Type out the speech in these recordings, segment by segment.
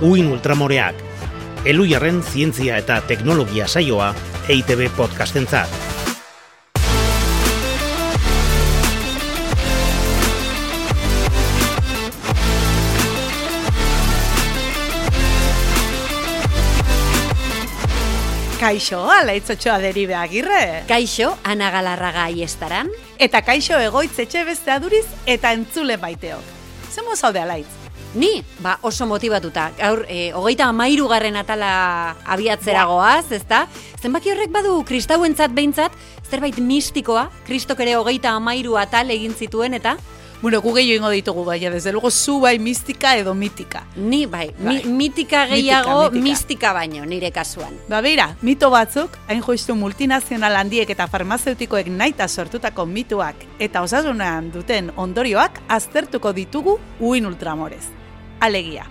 Uin Ultramoreak, Elujarren zientzia eta teknologia saioa EITB podcastentzat. Kaixo, Alaitzotxoa Deribe Agirre. Kaixo, Ana Galarraga Aiestaran. Eta kaixo Egoitz Etxebeste Aduriz eta entzule baiteok. Zemo zaude Alaitz? Ni, oso motibatuta. Gaur, 33. atala abiatzeragoaz, ezta? Zenbaki horrek badu kristauentzat behintzat, zerbait mistikoa, Kristok ere 33 atal egin zituen, eta? Bueno, gu gehiago ingo ditugu, baina, desde luego, zu bai mistika edo mitika. Ni, mitika gehiago, mistika baino, nire kasuan. Beira, mito batzuk, hain justu multinazional handiek eta farmazeutikoek naita sortutako mituak eta osasunean duten ondorioak aztertuko ditugu Uin Ultramorez. Alegia,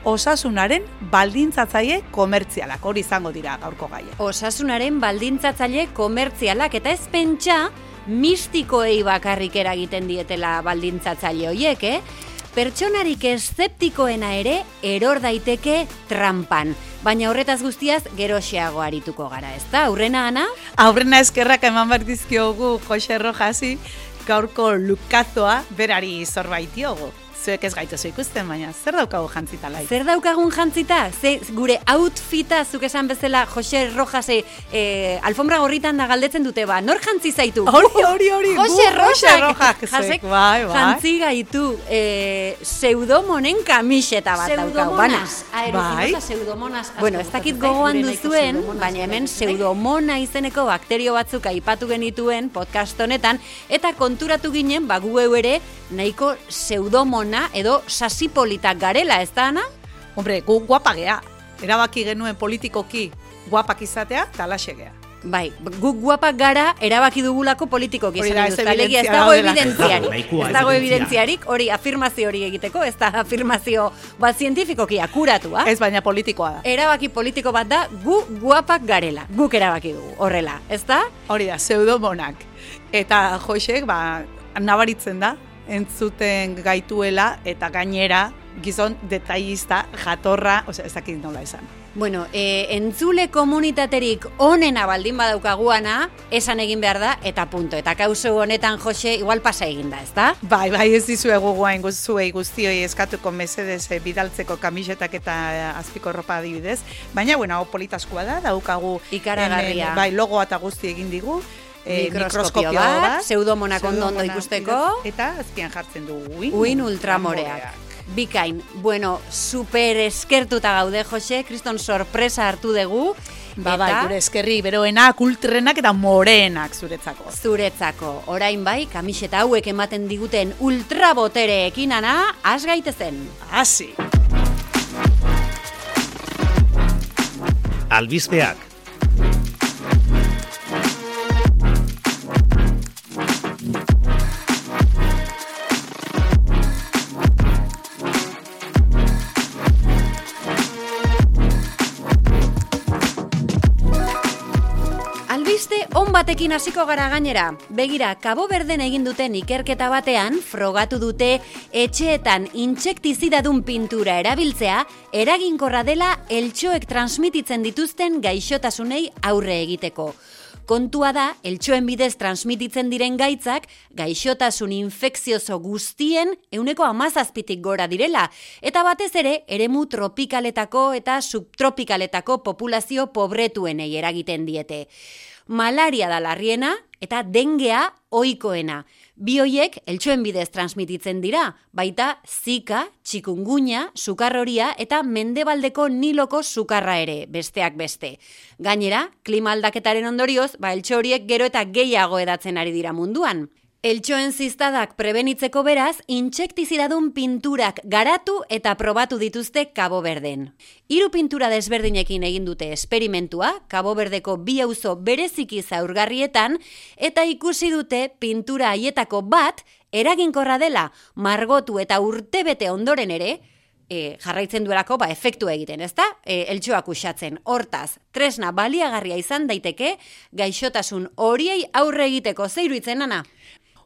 osasunaren baldintzatzaile komertzialak, hori izango dira gaurko gaia. Osasunaren baldintzatzaile komertzialak, eta ez pentsa mistikoei bakarrik eragiten dietela baldintzatzaile horiek, Pertsonarik eszeptikoena ere eror daiteke trampan. Baina horretaz guztiaz geroxeago arituko gara, ezta? Aurrena, Ana? Aurrena eskerrak eman behar dizkiogu Jose Rojasi, gaurko lukazoa berari zorbaitiogu. Zuek ez gaituzu ikusten, baina zer daukagu jantzita Lai? Zer daukagun jantzita? Gure outfita, zuk esan bezala, Jose Rojase alfombra gorritan da galdetzen dute, nor jantzi zaitu? Hori, Jose Rojak jasek, bai. Jantzi gaitu pseudomonen kamiseta bat daukagu. Pseudomonas. Bueno, ez dakit gogoan duzuen, baina hemen pseudomona izeneko bakterio batzuk aipatu genituen podcast honetan, eta konturatu ginen, gu ere nahiko pseudomona edo sasipolitak garela, ez da, Ana? Hombre, gu guapa gea. Erabaki genuen politikoki guapak izatea, talaxe gea. Bai, gu guapak gara erabaki dugulako politikoki. Ez dago evidentziarik. Ez dago evidentziarik, hori afirmazio hori egiteko, ez da afirmazio bat zientifikoki akuratua. Ez, baina politikoa da. Erabaki politiko bat da, gu guapak garela. Guk erabaki dugu, horrela, ez da? Hori da, pseudomonak. Eta Josek, nabaritzen da, entzuten gaituela eta gainera gizon detailista jatorra, ez dakit nola esan. Bueno, entzule komunitaterik onena baldin badaukaguana, esan egin behar da, eta punto. Eta kauso honetan, Jose, igual pasa egin da, ez da? Bai, ez dizuegu guain zuei guztioi eskatuko mesedez bidaltzeko kamisetak eta azpiko ropa adibidez. Baina, hau politaskua da, daukagu ikaragarria. Bai, logoa eta guzti egin digu. Mikroskopio bat, pseudomonak ondo ikusteko. Eta azpian jartzen du Uin Ultramoreak. Bikain, bueno, super eskertuta gaude, Jose, kriston sorpresa hartu dugu. Gure eskerri beroenak, ultrenak eta moreenak zuretzako. Orain bai, kamiseta hauek ematen diguten ultrabotereekin, Ana, has gaitezen. Hasi. Albispeak. On batekin hasiko gara gainera. Begira, Kabo Verden egin duten ikerketa batean, frogatu dute etxeetan intsektizidadun pintura erabiltzea, eraginkorra dela eltxoek transmititzen dituzten gaixotasunei aurre egiteko. Kontua da, eltxoen bidez transmititzen diren gaitzak, gaixotasun infekzioso guztien 17% gora direla, eta batez ere, eremu tropikaletako eta subtropikaletako populazio pobretuenei eragiten diete. Malaria da larriena eta dengea ohikoena. Bi horiek eltxoen bidez transmititzen dira, baita Zika, txikungunya, sukarroria eta mendebaldeko niloko sukarra ere, besteak beste. Gainera, klima aldaketaren ondorioz, eltxo horiek gero eta gehiago edatzen ari dira munduan. Eltxoen ziztadak prebenitzeko beraz, intsektizidadun pinturak garatu eta probatu dituzte Kabo Verden. 3 pintura desberdinekin egin dute esperimentua, Kabo Verdeko 2 auzo bereziki zaurgarrietan, eta ikusi dute pintura haietako bat eraginkorra dela, margotu eta urtebete ondoren ere, jarraitzen duelako efektu egiten, ezta? Eltxoak uxatzen. Hortaz, tresna baliagarria izan daiteke, gaixotasun horiei aurre egiteko. Ze iruditzen, Ana?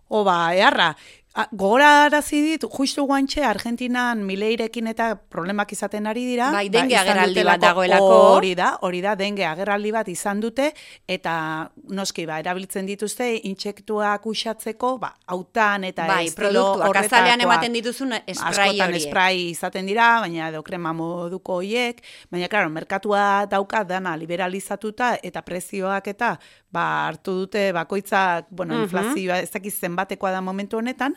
Eharra, Gogorarazi dit, justu guantxe Argentinan Mileirekin eta problemak izaten ari dira. Bai, denge agerraldi bat dagoelako. Hori da, denge agerraldi bat izan dute, eta noski, erabiltzen dituzte, intsektuak uxatzeko, hautan eta bai, estilo horretakoak. Azalean ematen dituzun esprai horiek. Askotan esprai izaten dira, baina edo krema moduko horiek, baina, klaro, merkatua dauka dana liberalizatuta, eta prezioak eta hartu dute bakoitzak, inflazioa ez dakiz zenbatekoa da momentu honetan,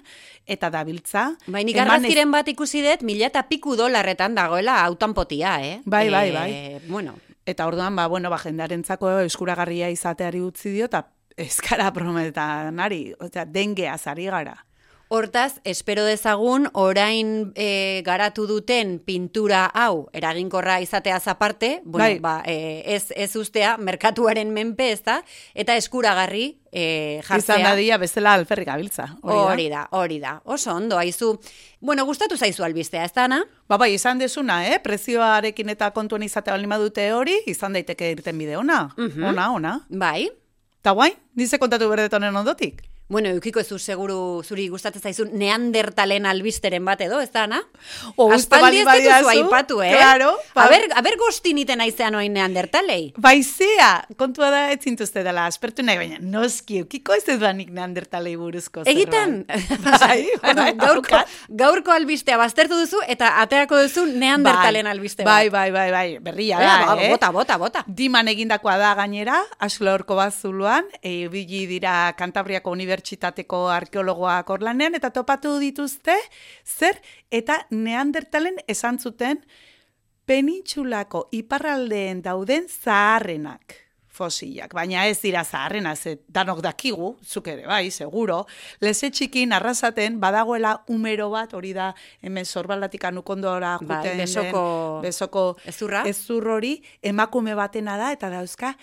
eta dabiltza. Bai, nik argazkiren bat ikusi dut, $1,000 dagoela autan potia, Bai. Bueno. Eta orduan, jendarentzako eskuragarria izateari utzi dio, eta eskara prometanari, dengeaz ari gara. Hortaz, espero dezagun, orain garatu duten pintura hau, eraginkorra izateaz aparte, ez ustea, merkatuaren menpe ez da, eta eskuragarri jartzea. Izan dadia bezala alferrik gabiltza. Hori da. Oso ondo, haizu. Bueno, gustatu zaizu albistea, ez da, Ana? Bai, izan desuna, prezioarekin eta kontuen izatea balima dute hori, izan daiteke irten bide ona. Ona. Bai. Ta guain, nize kontatu berdetonen ondotik. Bueno, eukiko ez seguru zuri gustatzen zaizun neandertalen albisteren bat edo, ez da, Ana? Aspaldi ez dituzu aipatu, Claro. Aber gozti niten aizean oin neandertalei. Baizea, kontua da ez zintuzte dela, aspertu nahi, baina noski, eukiko ez ez banik neandertalei buruzko zerbait. Egitan? Bai, gaurko albistea baztertu duzu eta aterako duzu neandertalen albiste bat. Bai, berria da, Bota. Diman egindakoa da gainera, Aslorko bazuluan, bili dira Kantabriako Unibertsitateko arkeologoak orlanean, eta topatu dituzte, zer, eta neandertalen esan zuten penintsulako iparraldeen dauden zaharrenak fosilak. Baina ez dira zaharrena, danok dakigu, zuk ere, bai, seguro, leze txikin arrasaten badagoela umero bat, hori da, hemen Sorbaldatik anukondora juten besoko ezur hori, emakume batena da, eta dauzka,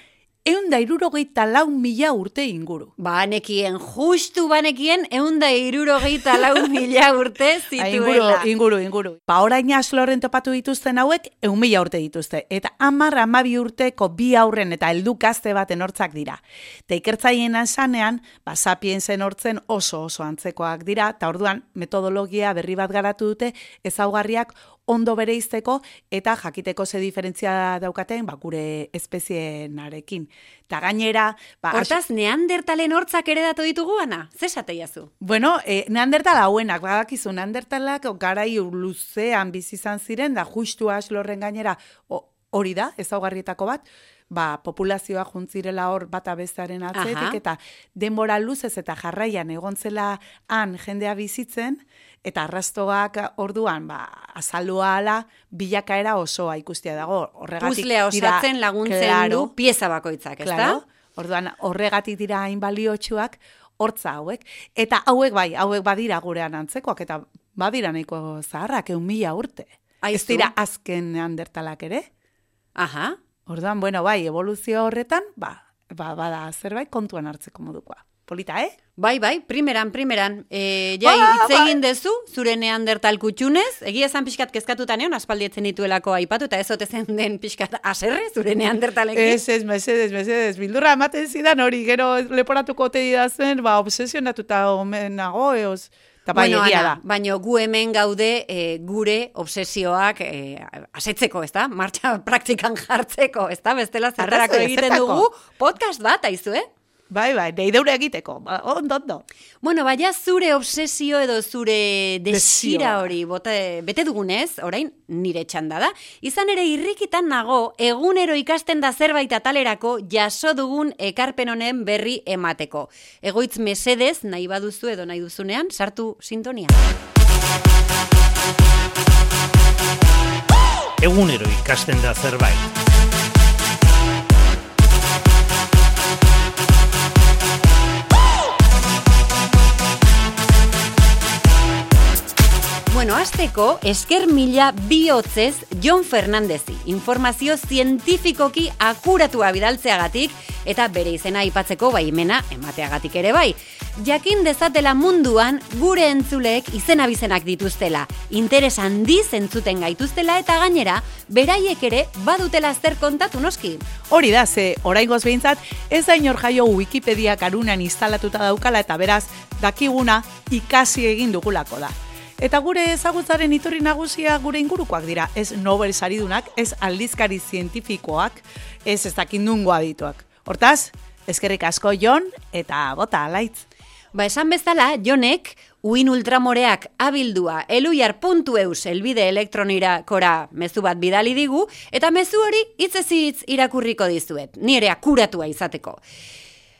164.000 urte inguru. Justu banekien, 164.000 urte zituela. Inguru. Orain Aslorren topatu dituzten hauek, 1.000 urte dituzte. Eta 10-12 urteko bi aurren eta heldu gazte baten hortzak dira. Eta ikertzaileen esanean, sapiensen hortzen oso antzekoak dira, eta orduan metodologia berri bat garatu dute, ezaugarriak ondo bereizteko eta jakiteko ze diferentzia daukaten gure espezieenarekin. Eta gainera... Hortaz, neandertalen hortzak ere datu ditugu, Ana? Zesate jazu? Bueno, neandertal hauenak, badakizu, neandertalak garai luzean bizi izan ziren, da justu Aslorren gainera hori da, ezaugarrietako bat, populazioa juntzirela hor bata bestearen atzetik, eta denbora luzez eta jarraian egontzela han jendea bizitzen, eta arrastoak orduan, azalua ala, bilakaera osoa ikustia dago. Puzlea osatzen laguntzen du pieza bakoitzak, ez da? Orduan, horregatik dira hain baliotsuak hortza hauek. Eta hauek badira gurean antzekoak, eta badira nahiko zaharrak, 1.000 urte. Ez dira azken neandertalak ere? Aha. Orduan, evoluzio horretan, bada zerbait kontuan hartzeko modukoa. Polita, Bai, primeran. Hitz egin dezu, zure neandertal kutxunez, egia esan pixkat kezkatuta neon, aspaldietzen dituelako aipatu, eta ez otezen den pixkat aserre, zure neandertalekin. Ez, mesedez, bildurra ematen zidan hori, gero leporatuko ote didazen, obsesionatuta omen nago, Bueno, Ana, baina gu hemen gaude gure obsesioak asetzeko, ez da? Martxa praktikan jartzeko, ez da? Bestela zertarako egiten dugu podcast bat, aizu, Bai, deideure egiteko, ondo. Bueno, baina zure obsesio edo zure desira hori bete dugunez, orain nire txanda da. Izan ere irrikitan nago, egunero ikasten da zerbait atalerako jaso dugun ekarpen honen berri emateko. Egoitz mesedez, nahi baduzu edo nahi duzunean, sartu sintonia. Egunero ikasten da zerbait. Bueno, azteko, esker mila bihotzez Jon Fernandezi, informazio zientifikoki akuratua bidaltzeagatik, eta bere izena aipatzeko baimena emateagatik ere bai. Jakin dezatela munduan gure entzuleek izena-bizenak dituztela, interes handiz entzuten gaituztela eta gainera, beraiek ere badutela zer kontatu noski. Hori da, ze oraingoz behintzat, ez da inor jaio Wikipedia karunan instalatuta daukala eta beraz, dakiguna ikasi egin dugulako da. Eta gure ezagutzaren iturri nagusia gure ingurukoak dira, ez Nobel saridunak, ez aldizkari zientifikoak, ez dakindungo adituak. Hortaz, eskerrik asko Jon eta bota alaitz. Esan bezala, Jonek, uin ultramoreak abildua eluyar.eus elbide elektronirakora mezu bat bidali digu, eta mezu hori hitzez hitz irakurriko dizuet, nire akuratua izateko.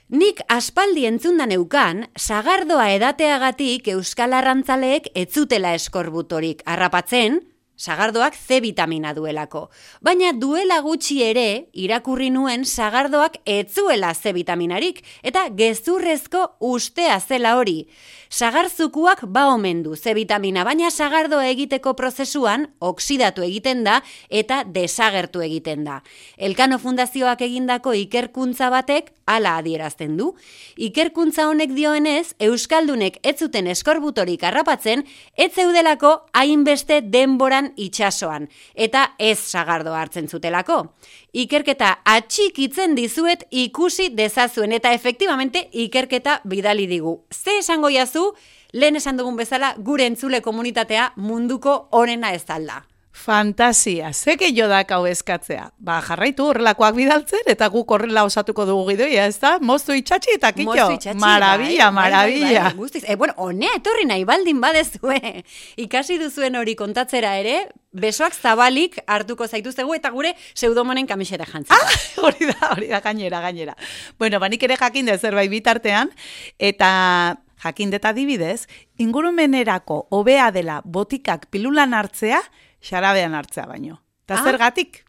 Nik aspaldi entzundan neukan, sagardoa edateagatik euskal arrantzaleek ez zutela eskorbutorik harrapatzen, sagardoak C vitamina duelako. Baina duela gutxi ere, irakurri nuen sagardoak ez zuela C vitaminarik, eta gezurrezko ustea zela hori. Sagarzukuak ba omen du C vitamina, baina sagardoa egiteko prozesuan oksidatu egiten da eta desagertu egiten da. Elkano Fundazioak egindako ikerkuntza batek hala adierazten du. Ikerkuntza honek dioenez, euskaldunek ez zuten eskorbutorik harrapatzen, ez zeudelako hainbeste denboran itsasoan, eta ez sagardoa hartzen zutelako. Ikerketa atxikitzen dizuet ikusi dezazuen, eta efektibamente ikerketa bidali digu. Ze esango jazu, lehen esan dugun bezala, gure entzule komunitatea munduko onena ez alda. Fantasia, zeke jodak hau eskatzea. Jarraitu horrelakoak bidaltzen, eta guk horrela osatuko dugu gidoia, ez da? Moztu itxatxi eta kitxo. Marabilla, marabilla. Bueno, honea etorri nahi baldin badezue. Ikasi duzuen hori kontatzera ere, besoak zabalik hartuko zaituztegu eta gure pseudomonen kamiseta jantzeko. Hori da, gainera. Bueno, banik ere jakin dut zerbait bitartean, eta jakin dut adibidez, ingurumenerako hobea dela botikak pilulan hartzea, xarabean hartzea baino. Ta zergatik?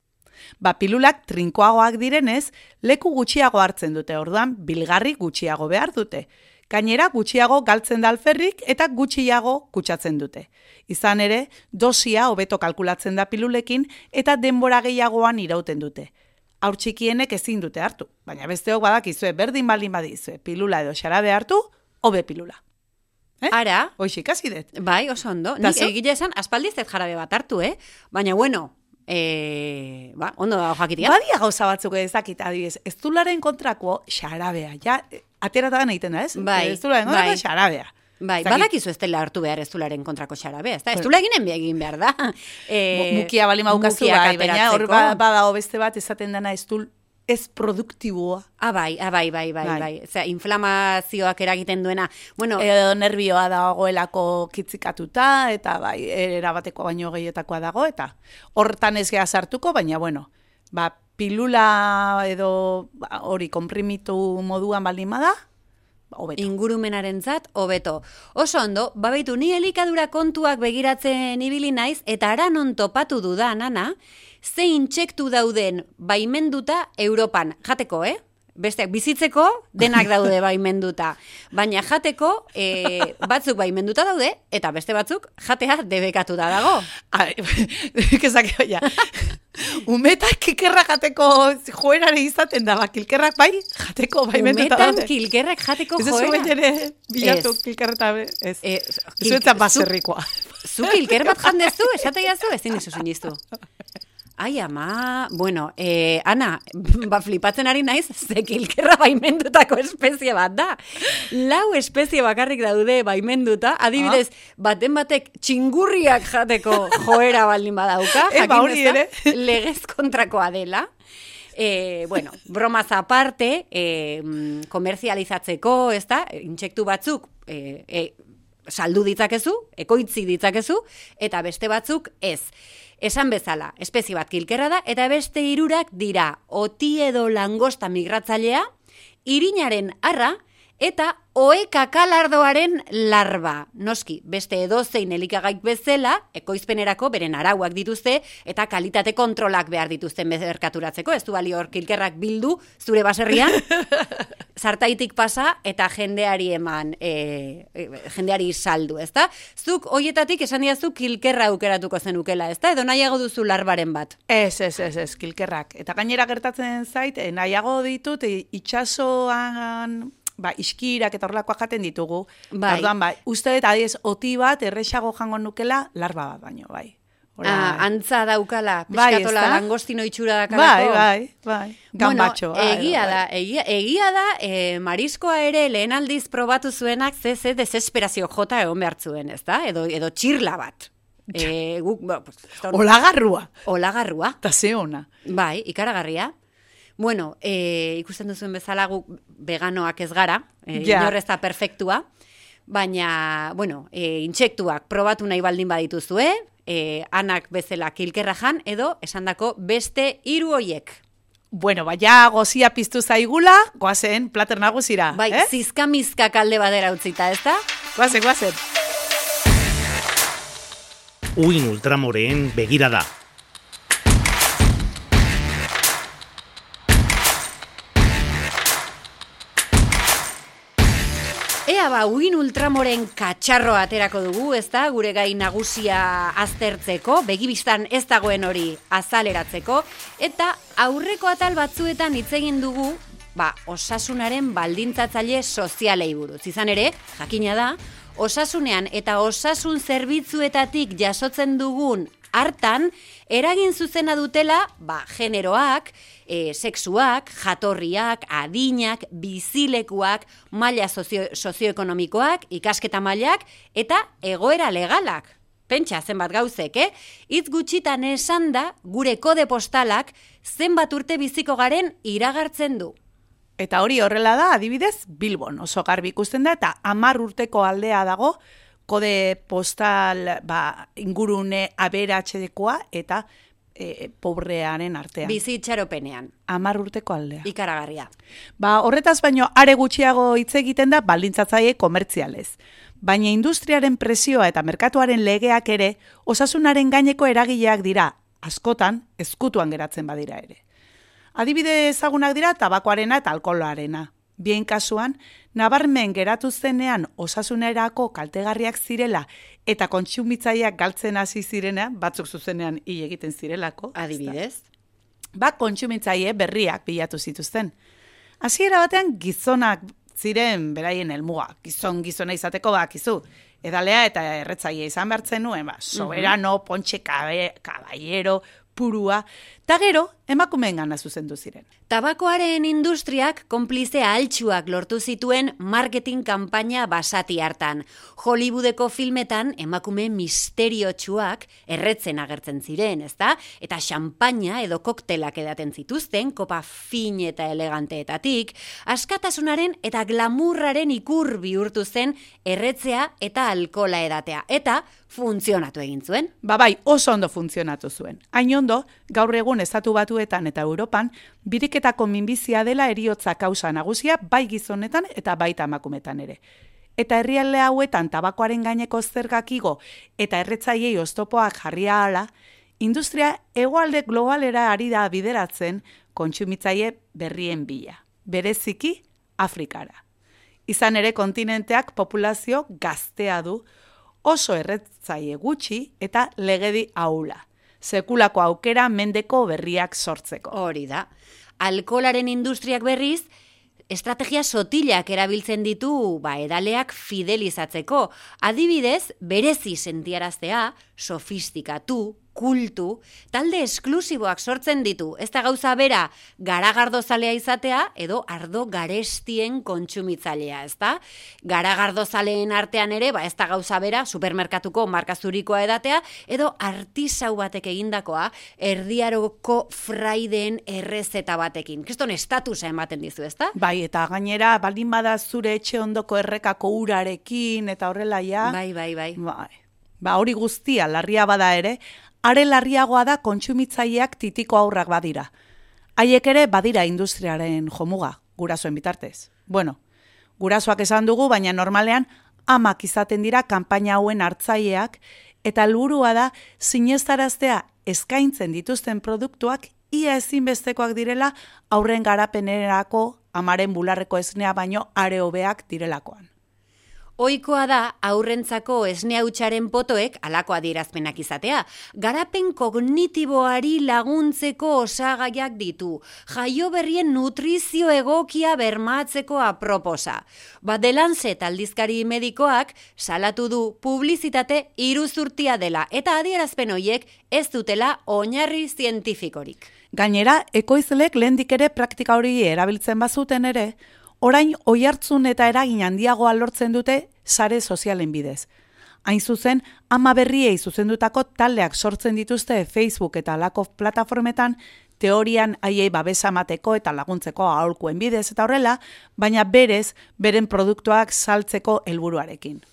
Pilulak trinkoagoak direnez, leku gutxiago hartzen dute, orduan bilgarri gutxiago behar dute. Gainera gutxiago galtzen da alferrik eta gutxiago kutsatzen dute. Izan ere, dosia hobeto kalkulatzen da pilulekin eta denbora gehiagoan irauten dute. Haur txikienek ezin dute hartu, baina besteok badakizue berdin baldin badizue, pilula edo xarabe hartu, hobe pilula. Ara? Hoxe, ikasi dut. Bai, oso ondo. Nik egile esan, aspaldi ez jarabe bat hartu, Baina, bueno, ondo dago jakitia. Badia gauza batzuk ezakit, adibidez, ez zularen kontrako xarabea, ja, ateratagan egiten da, ez? Bai, ez zularen kontrako xarabea. Bai, badakizu ez dela hartu behar ez zularen kontrako xarabea, ez da? Ez zula egin behar da. Mukia bali maukazu, baina hor badago beste bat esaten dena ez dul ez produktiboa. Bai. Osea, inflamazioak eragiten duena. Bueno, edo nervioa dagoelako kitzikatuta, eta bai, erabateko baino gehietakoa dago, eta hortan ez geha sartuko, baina, bueno, pilula edo hori konprimitu moduan baldin bada, hobeto. Ingurumenarentzat hobeto. Oso ondo, babaitu, ni elikadura kontuak begiratzen ibili naiz, eta aranon topatu dudan, Ana, ze intsektu dauden baimenduta Europan. Jateko, Besteak bizitzeko denak daude baimenduta. Baina jateko batzuk baimenduta daude, eta beste batzuk jatea debekatuta dago. Kezak, ja. Umetak kilkerrak jateko joerare izaten da, kilkerrak bai, jateko baimenduta daude. Umetan kilkerrak jateko joera. Ez ez zuen ere bilatu kilkerreta, ez. Ez zuetan baserrikoa. Zu kilker bat jandezu, esate jazu, ezin dizu sinistu. Ai, ama, bueno, Ana, flipatzen ari naiz, ze kilkerra baimendutako espezie bat da. 4 espezie bakarrik daude baimenduta, adibidez, baten batek txingurriak jateko joera baldin badauka, jakin ere legez kontrakoa dela. Bueno, bromaz aparte, komerzializatzeko, ez da, intsektu batzuk, saldu ditzakezu, ekoitzi ditzakezu, eta beste batzuk ez. Esan bezala, espezie bat kilkerra da, eta beste 3 dira oti edo langosta migratzailea, irinaren arra eta ohe kakalardoaren larba. Noski, beste edozein elikagaik bezala, ekoizpenerako beren arauak dituzte eta kalitate kontrolak behar dituzten merkaturatzeko. Ez du balio hor kilkerrak bildu zure baserrian, zartaitik pasa eta jendeari eman, jendeari saldu, ezta? Zuk hoietatik esan diazu kilkerra aukeratuko zenukela, ezta? Edo nahiago duzu larbaren bat? Ez, kilkerrak. Eta gainera gertatzen zait, nahiago ditut itxasoan iskirak eta horrelakoak jaten ditugu. Bai. Orduan, uste dut adiez oti bat erresago jango nukela larba bat baino, bai. Antza daukala, Bai, peskatola ezta? langostino itxura dakalako. Bai. Gambatxo. Egia da, mariskoa ere lehen aldiz probatu zuenak ze desesperazio jota egon behar zuen, ezta? Edo txirla bat. Olagarrua. Ta ze ona. Bai, ikaragarria. Bueno, ikusten duzuen bezala guk veganoak ez gara, inor ez da perfektua, baina, bueno, intsektuak probatu nahi baldin badituzue, anak bezala kilkerra jan, edo esandako beste 3 hoiek. Bueno, ja gozia piztu zaigula, goazen plater nagusira. Bai, zizkamizka kalde badera utzita, ez da? Goazen. Uin ultramoreen begirada. Uin ultramoren katxarroa aterako dugu, ezta? Gure gai nagusia aztertzeko, begibistan ez dagoen hori azaleratzeko, eta aurreko atal batzuetan hitz egin dugu, osasunaren baldintzatzaile sozialei buruz. Izan ere, jakina da, osasunean eta osasun zerbitzuetatik jasotzen dugun hartan, eragin zuzena dutela, generoak, sexuak, jatorriak, adinak, bizilekuak, maila sozioekonomikoak, ikasketa mailak eta egoera legalak. Pentsa zenbat gauzek, Hitz gutxitan esan da, gure kode postalak zenbat urte biziko garen iragartzen du. Eta hori horrela da, adibidez, Bilbon oso garbi ikusten da, eta 10 urteko aldea dago, kode postal ingurune aberatsekoa eta pobrearen artean. Bizi itxaropenean. 10 urteko aldea. Ikaragarria. Horretaz baino are gutxiago hitz egiten da baldintzatzaile komertzialez. Baina industriaren presioa eta merkatuaren legeak ere osasunaren gaineko eragileak dira, askotan ezkutuan geratzen badira ere. Adibide ezagunak dira tabakoarena eta alkoholarena. Bien kasuan, nabarmen geratu zenean osasunerako kaltegarriak zirela eta kontsumitzaileak galtzen hasi zirena, batzuk zuzenean hil egiten zirelako. Adibidez? Kontsumitzaile berriak bilatu zituzten. Hasiera batean gizonak ziren beraien helmuga. Gizona izateko bakizu. Edalea eta erretzaile izan behartzen nuen, soberano, pontxe caballero, purua, eta gero emakumeen gana zuzendu ziren. Tabakoaren industriak konplize altxuak lortu zituen marketing kanpaina basati hartan. Hollywoodeko filmetan emakume misteriotsuak erretzen agertzen ziren, ezta? Eta xampaina edo koktelak edaten zituzten, kopa fin eta eleganteetatik, askatasunaren eta glamurraren ikur bihurtu zen erretzea eta alkola edatea. Eta funtzionatu egin zuen. Oso ondo funtzionatu zuen. Hain ondo, gaur egun Estatu Batuetan eta Europan, biriketako minbizia dela heriotza kausa nagusia bai gizonetan eta baita emakumetan ere. Eta herrialde hauetan tabakoaren gaineko zergak igo eta erretzailei oztopoak jarria hala, industria hegoalde globalera ari da bideratzen kontsumitzaile berrien bila. Bereziki Afrikara. Izan ere kontinenteak populazio gaztea du, oso erretzaile gutxi eta legedi ahula. Sekulako aukera mendeko berriak sortzeko. Hori da. Alkolaren industriak berriz, estrategia sotilak erabiltzen ditu edaleak fidelizatzeko. Adibidez, berezi sentiaraztea, sofistikatu, kultu, talde esklusiboak sortzen ditu. Ez da gauza bera garagardozalea izatea edo ardo garestien kontsumitzailea, ez da? Garagardozaleen artean ere, ez da gauza bera supermerkatuko markazurikoa edatea edo artisau batek egindakoa erdiaroko fraideen errezeta batekin. Kriston estatusa ematen dizu, ez da? Bai, eta gainera baldin bada zure etxe ondoko errekako urarekin eta horrela ja. Bai. Hori guztia larria bada ere, are larriagoa da kontsumitzaileak titiko aurrak badira. Haiek ere badira industriaren jomuga, gurasoen bitartez. Gurasoak esan dugu, baina normalean amak izaten dira kanpaina hauen hartzaileak, eta helburua da sinestaraztea eskaintzen dituzten produktuak ia ezinbestekoak direla aurren garapenerako amaren bularreko esnea baino are hobeak direlakoan. Ohikoa da aurrentzako esne hutsaren potoek halako adierazpenak izatea. Garapen kognitiboari laguntzeko osagaiak ditu. Jaio berrien nutrizio egokia bermatzeko aproposa. The Lancet aldizkari medikoak salatu du publizitate iruzurtia dela eta adierazpen horiek ez dutela oinarri zientifikorik. Gainera, ekoizleek lehendik ere praktika hori erabiltzen bazuten ere, orain oihartzun eta eragin handiagoa lortzen dute sare sozialen bidez. Hain zuzen, ama berriei zuzendutako taldeak sortzen dituzte Facebook eta halako plataformetan, teorian haiei babesa emateko eta laguntzeko aholkuen bidez eta horrela, baina berez, beren produktuak saltzeko helburuarekin.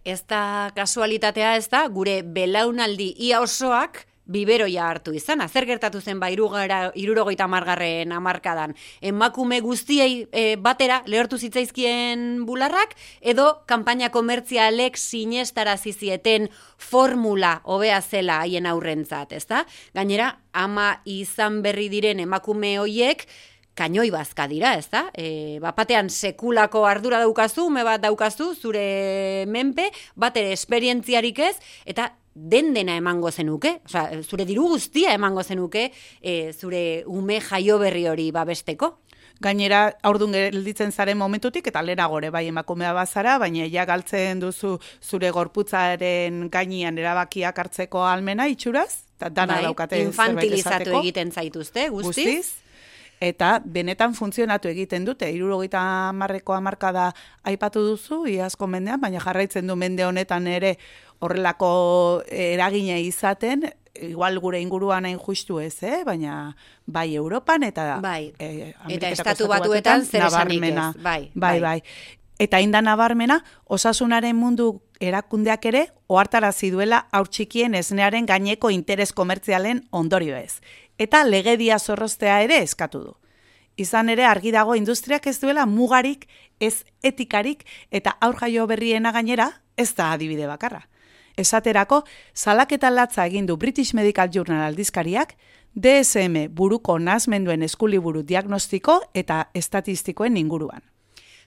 Ez da kasualitatea ez da, gure belaunaldi ia osoak biberoia hartu izan. Zer gertatu zen 70. hamarkadan. Emakume guztiei batera lehortu zitzaizkien bularrak, edo kanpaina komertzialek sinestarazi zieten formula hobea zela haien aurrentzat, ezta? Gainera, ama izan berri diren emakume hoiek kainoi bazka dira, ezta? Batean sekulako ardura daukazu, ume bat daukazu, zure menpe, batere esperientziarik ez, eta dena emango zenuke, zure diru guztia emango zenuke, zure ume jaio berri hori babesteko. Gainera, aurdun gelditzen zaren momentutik, eta lehenagore bai emakumea bazara, baina ja galtzen duzu zure gorputzaren gainean erabakiak hartzeko ahalmena itxuraz, eta dana daukate zerbait esateko. Infantilizatu egiten zaituzte, guztiz. Eta benetan funtzionatu egiten dute. 70ko hamarkada aipatu duzu, iazko mendean, baina jarraitzen du mende honetan ere horrelako eragina izaten, igual gure inguruan hain justu ez, baina bai Europan eta eta Estatu Batuetan zer esanik ez. Bai. Eta inda nabarmena, osasunaren mundu erakundeak ere ohartarazi duela haur txikien esnearen gaineko interes komertzialen ondorio ez. Eta legedia zorroztea ere eskatu du. Izan ere argi dago industriak ez duela mugarik, ez etikarik eta aur jaio berriena gainera ez da adibide bakarra. Esaterako, salaketa latza egin du British Medical Journal aldizkariak, DSM buruko nahasmenduen eskuliburu diagnostiko eta estatistikoen inguruan.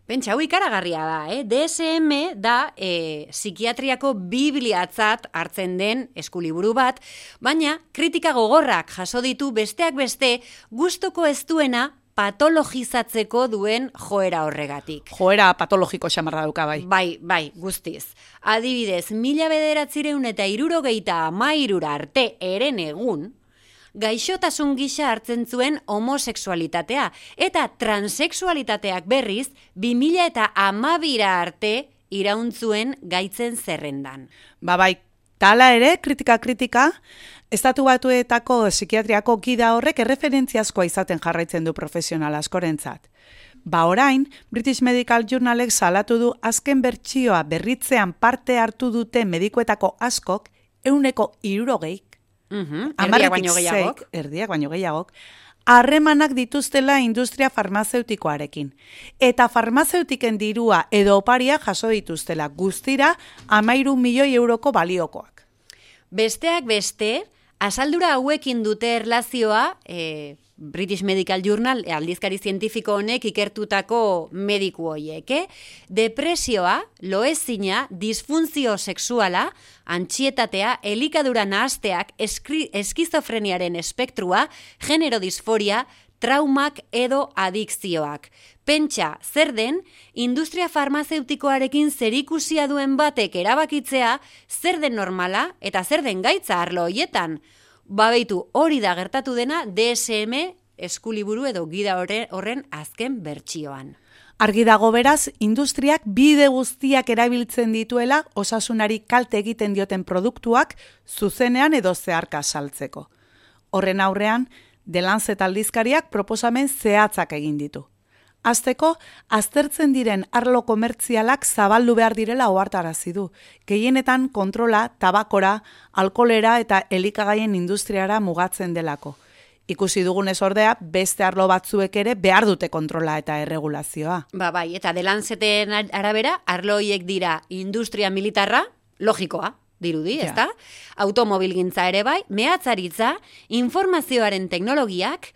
Pentsa, hau ikaragarria da, DSM da psikiatriako bibliatzat hartzen den eskuliburu bat, baina kritika gogorrak jaso ditu besteak beste gustuko ez duena patologizatzeko duen joera horregatik. Joera patologiko xamarra dauka bai. Bai, guztiz. Adibidez, 1973 arte eren egun, gaixotasun gisa hartzen zuen homosexualitatea eta transexualitateak berriz 2012 arte irauntzuen gaitzen zerrendan. Bai, tala ere, kritika, Estatu Batuetako psikiatriako gida horrek erreferentziazkoa izaten jarraitzen du profesional askorentzat. Orain, British Medical Journalek salatu du azken bertsioa berritzean parte hartu dute medikuetako askok 160 erdiak baino gehiagok, harremanak dituztela industria farmazeutikoarekin. Eta farmazeutiken dirua edo oparia jaso dituztela guztira 13 milioi euroko baliokoak. Besteak beste, azaldura hauekin dute erlazioa, British Medical Journal aldizkari zientifiko honek ikertutako mediku hoiek, depresioa, loezina, disfuntzio sexuala, antsietatea, elikadura nahasteak, eskizofreniaren espektrua, genero disforia, traumak edo adikzioak. Pentsa, zer den, industria farmazeutikoarekin zerikusia duen batek erabakitzea, zer den normala eta zer den gaitza arlo hoietan. Beitu, hori da gertatu dena DSM eskuliburu edo gida horren azken bertsioan. Argi dago beraz, industriak bide guztiak erabiltzen dituela osasunari kalte egiten dioten produktuak zuzenean edo zeharka saltzeko. Horren aurrean, The Lancet aldizkariak proposamen zehatzak egin ditu. Hasteko, aztertzen diren arlo komertzialak zabaldu behar direla ohartarazi du. Gehienetan kontrola, tabakora, alkoholera eta elikagaien industriara mugatzen delako. Ikusi dugunez ordea, beste arlo batzuek ere behar dute kontrola eta erregulazioa. Bai, eta The Lanceten arabera, arlo horiek dira industria militarra, logikoa, dirudi, ezta? Automobilgintza ere bai, mehatzaritza, informazioaren teknologiak,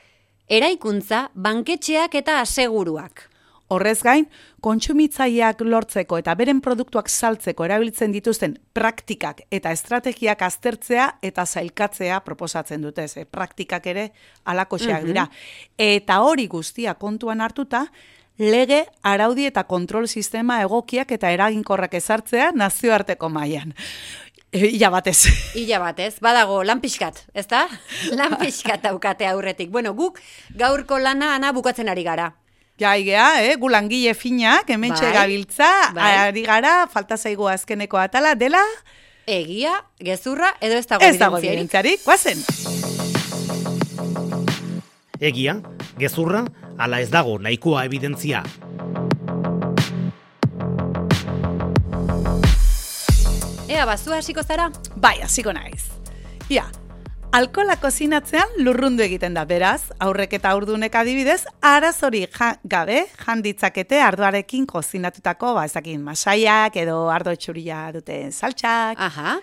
eraikuntza, banketxeak eta aseguruak. Horrez gain, kontsumitzaileak lortzeko eta beren produktuak saltzeko erabiltzen dituzten praktikak eta estrategiak aztertzea eta zailkatzea proposatzen dute. Praktikak ere halakoxeak dira. Eta hori guztia kontuan hartuta, lege, araudi eta kontrol sistema egokiak eta eraginkorrak ezartzea nazioarteko mailan. Ila batez. Ila batez, badago, lan pixkat, ezta? Lan pixkat daukate aurretik. Bueno, guk gaurko lana ana bukatzen ari gara. Ja, igea, gu langile finak, hementxe gabiltza, ari gara, falta zaigu azkeneko atala, dela? Egia, gezurra, edo ez dago evidentziarik, guazen. Egia, gezurra, ala ez dago nahikoa evidentzia. Ea, bazua hasiko zara? Bai, hasiko naiz. Ia, alkohola kozinatzean lurrundu egiten da, beraz, aurrek eta haurdunek adibidez, arazori gabe janditzakete ardoarekin kozinatutako, ezakin masaiak edo ardo txuria duten saltxak. Aha,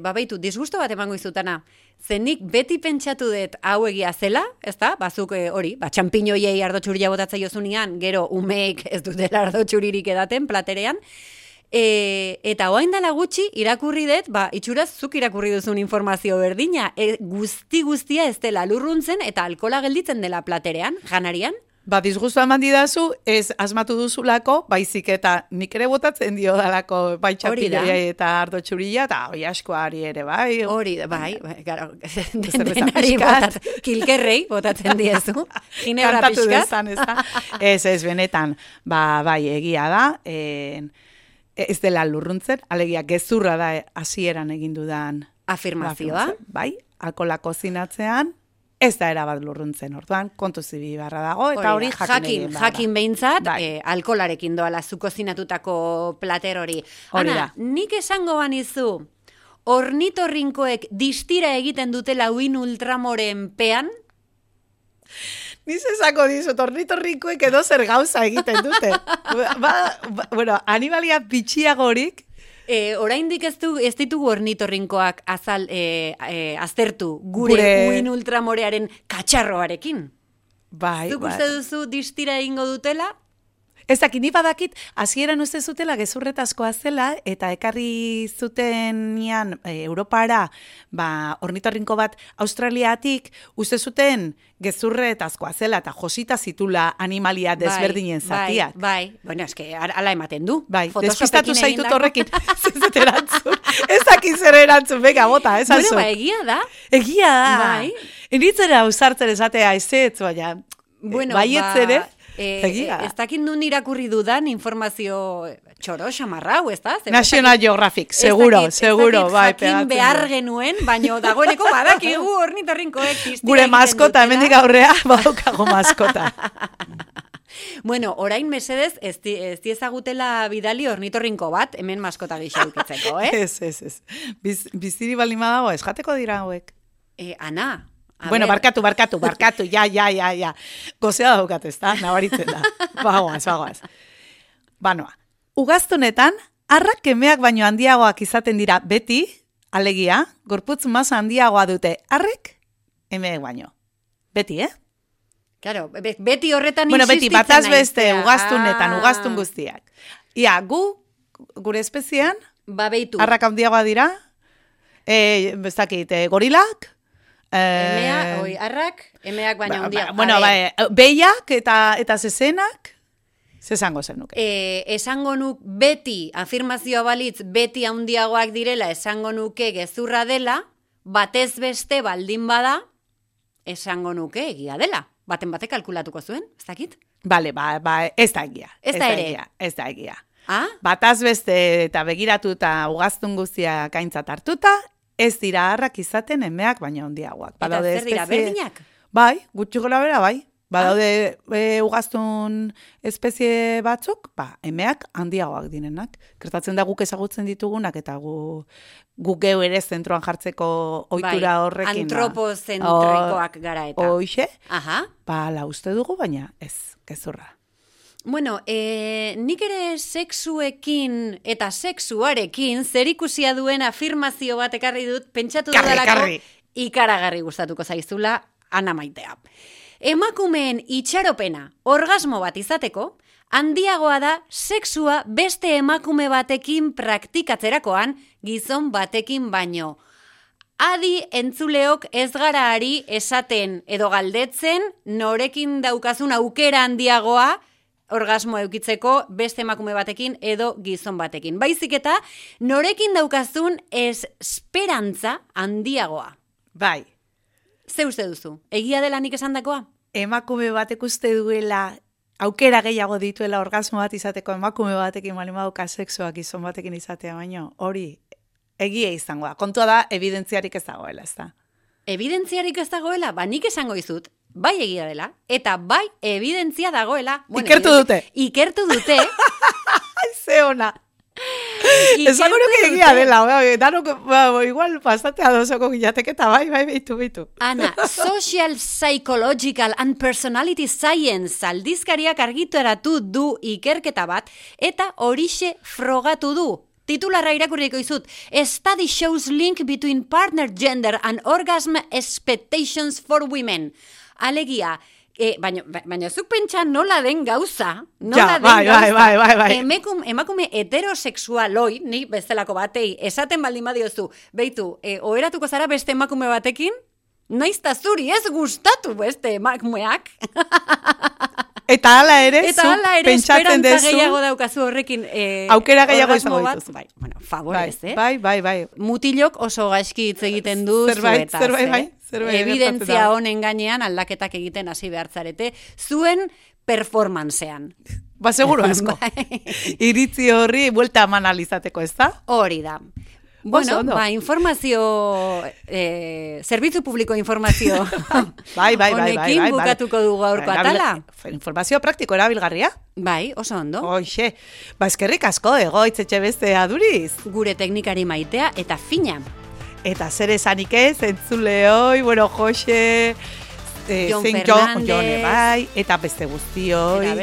baitu, disgusto bat emango izutana. Zenik beti pentsatu dut hau egia zela, ezta? Bazuk hori, txampiñoiei ardo txuria botatzea jozunean, gero umeek ez dutela ardo txuririk edaten platerean, eta oain dela gutxi irakurri dut, itxuraz zuk irakurri duzun informazio berdina, guztia ez dela lurruntzen eta alkola gelditzen dela platerean, janarian. Disgustu eman didazu, ez asmatu duzulako, baizik eta nik ere botatzen dio dalako txapilea eta ardo txurila, eta hori askoari ere, bai. Hori, bai, gara, denari botatzen, kilkerrei botatzen diezu, ginebra pixkat. Ez, benetan, bai, egia da, ez dela lurruntzen, alegia gezurra da hasieran egin dudan afirmazioa. Bai, alkohola kozinatzean, ez da erabat lurruntzen, orduan, kontu zibi barra dago, eta hori jakin behintzat, alkolarekin doala zu kozinatutako plater hori. Ana, nik esango banizu, ornitorrinkoek distira egiten dutela uin ultramoren pean? Niz esako dizut, ornitorrinkoek edo zer gauza egiten dute. Bueno, animalia bitxiagorik. Oraindik ez ditugu ornitorrinkoak aztertu gure uin ultramorearen katxarroarekin. Bai. Zuk uste duzu distira egingo dutela? Ez dakit, ni badakit, hasieran uste zutela gezurretazkoa zela, eta ekarri zutenean Europara, ornitorrinko bat Australiatik, uste zuten gezurretazkoa zela, eta josita zitula animalia desberdinen zatiak. Bai, bueno, eske, ala ematen du. Bai, despistatu zaitut horrekin, zizut erantzun. Ez dakit zer erantzun, bega, bota, ez alzu. Bueno, egia da. Egia da. Bai. Initzera usartzen esatea, ez baina, baietzere. Ez dakit nun irakurri dudan informazio txoro, xamarrau, ez da? National Geographic, seguro, bai. Jakin behar genuen, baino dagoeneko badakigu ornitorrinkoek distira. Gure maskota, hemendik aurrea, badaukago maskota. Bueno, orain mesedez, ez diezagutela bidali ornitorrinko bat, hemen maskota gisa dukitzeko, Ez. Biziri baldin badago, ez jateko dira hauek. Ana, bueno, barkatu, ja. Gozea daukat, ez da, nabaritzen da. Bagoaz. Banoa, ugaztunetan, arrak emeak baino handiagoak izaten dira beti, alegia, gorputz masa handiagoa dute arrek, emeak baino. Beti, Claro, beti horretan bueno, beti, bataz beste, ugaztunetan, ugaztun guztiak. Ia, gure espeziean, arrak handiagoa dira, ez dakit, gorilak, arrak, emeak baina handiagoa. Bueno, behiak eta zezenak, zezango zen nuke. Esango nuk beti, afirmazioa balitz, beti handiagoak direla, esango nuke gezurra dela, batez beste baldin bada, esango nuke egia dela. Baten batek kalkulatuko zuen, ez dakit? Bale, ez da egia. Ez da egia. Bataz beste eta begiratu eta ugaztun guztiak aintzat hartuta, ez dira harrak izaten emeak baina handiagoak. Eta zer dira, berdinak? Bai, gutxi gora bera, bai. Badaude ugaztun espezie batzuk, emeak handiagoak direnak. Gertatzen da guk ezagutzen ditugunak eta guk geu ere zentroan jartzeko ohitura horrekin. Antropozentrikoak gara eta. Hoxe? Aha. La uste dugu, baina ez, gezurra. Bueno, nik ere sexuekin eta sexuarekin zerikusia duen afirmazio bat ekarri dut, pentsatu dudalako ikaragarri gustatuko zaizula Ana Maitea. Emakumeen itxaropena orgasmo bat izateko, handiagoa da sexua beste emakume batekin praktikatzerakoan gizon batekin baino. Adi entzuleok ez gara ari esaten edo galdetzen norekin daukazun aukera handiagoa orgasmo eukitzeko beste emakume batekin edo gizon batekin. Baizik eta norekin daukazun esperantza handiagoa. Bai. Ze uste duzu? Egia dela nik esandakoa? Emakume batek uste duela aukera gehiago dituela orgasmo bat izateko emakume batekin malimauka sexuak gizon batekin izatea, baino hori egia izango da. Kontua da, evidentziarik ez dagoela, ez da? Evidentziarik ez dagoela? Nik esango izut, bai egia dela, eta bai evidentzia dagoela. Ikertu dute. Ikertu dute. Ze ona. Esango nuke egia dela, danok, igual pasatea dozoko gilateke eta bai, beitu. Ana, Social Psychological and Personality Science aldizkariak argitaratu du ikerketa bat, eta horixe frogatu du. Titularra irakurriko izut, Study shows link between partner gender and orgasm expectations for women. Alegia, baina zuk pentsa nola den gauza, bai. Emakume heterosexualoi, ni bezalako batei, esaten baldin badiozu, beitu, oheratuko zara beste emakume batekin, naizta zuri ez gustatu beste emakumeak. Eta hala ere, pentsatzen dezu. Gehiago daukazu horrekin. Aukera gehiago izango dituzu. Bai, bueno, favorez, Bai. Mutilok oso gaizki hitz egiten du zuetaz. Zerbait. Evidentzia honen gainean aldaketak egiten hasi behartzarete, zuen performancean. Seguro asko. Iritzi horri buelta eman alizateko, ez da? Hori da. Bueno, informazio, zerbitzu publiko informazio. Bai. Honekin bukatuko dugu gaurko atala. Informazio praktiko erabilgarria. Bai, oso ondo. Hoxe, eskerrik asko, Itzetxe beste aduriz. Gure teknikari maitea eta fina. Eta zer esanik ez, entzuleoi, Jose, Jon Fernandez, bai, eta beste guztioi.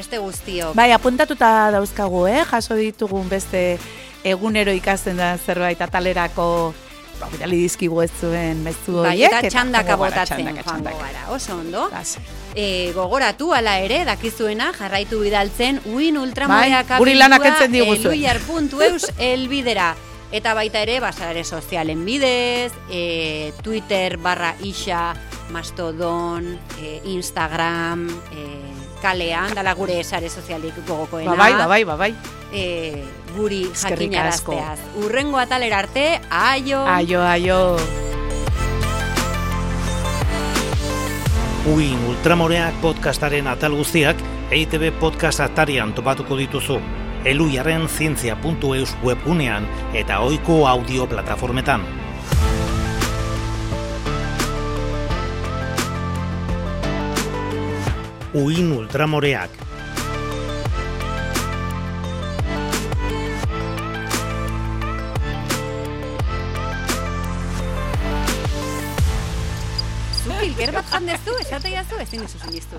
Bai, apuntatuta dauzkagu, jaso ditugun beste egunero ikasten da zerbait atalerako bidali dizkigu ez zuen mezu horiek. Bai, eta txandaka botatzen joango gara, oso ondo. Gogoratu ala ere, dakizuena, jarraitu bidaltzen, uin ultramoreak abildua eluiar.eus elbidera. Eta baita ere, sare sozialen bidez, Twitter /isa, Mastodon, Instagram, kalean, dala gure sare sozialik gogokoena. Bai. Guri jakinarazteaz. Urrengo atalera arte, aio! Aio! Uin Ultramoreak podcastaren atal guztiak EITB podcast atarian topatuko dituzu. Eluiarren zientzia.eus webgunean eta ohiko audio plataformetan. Uin Ultramoreak. Zupil, gerbat jandezu, esate jazu, ezin dizu.